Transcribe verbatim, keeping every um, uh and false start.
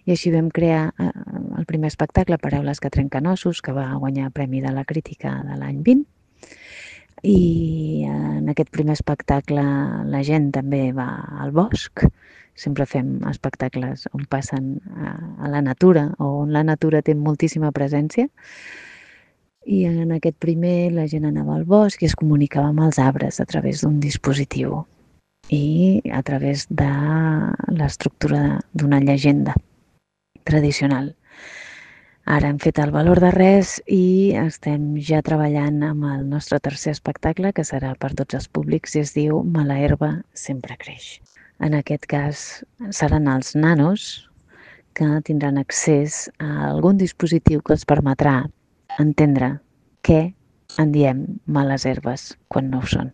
I així vam crear eh, el primer espectacle, Paraules que trenquen ossos, que va guanyar Premi de la Crítica de l'any vint. I en aquest primer espectacle la gent també va al bosc. Sempre fem espectacles on passen a, a la natura o on la natura té moltíssima presència. I en aquest primer la gent anava al bosc i es comunicava amb els arbres a través d'un dispositiu i a través de l'estructura d'una llegenda tradicional. Ara hem fet el valor de res i estem ja treballant amb el nostre tercer espectacle, que serà per tots els públics, i es diu Mala herba sempre creix. En aquest cas seran els nanos que tindran accés a algun dispositiu que els permetrà entendre què en diem males herbes quan no ho són.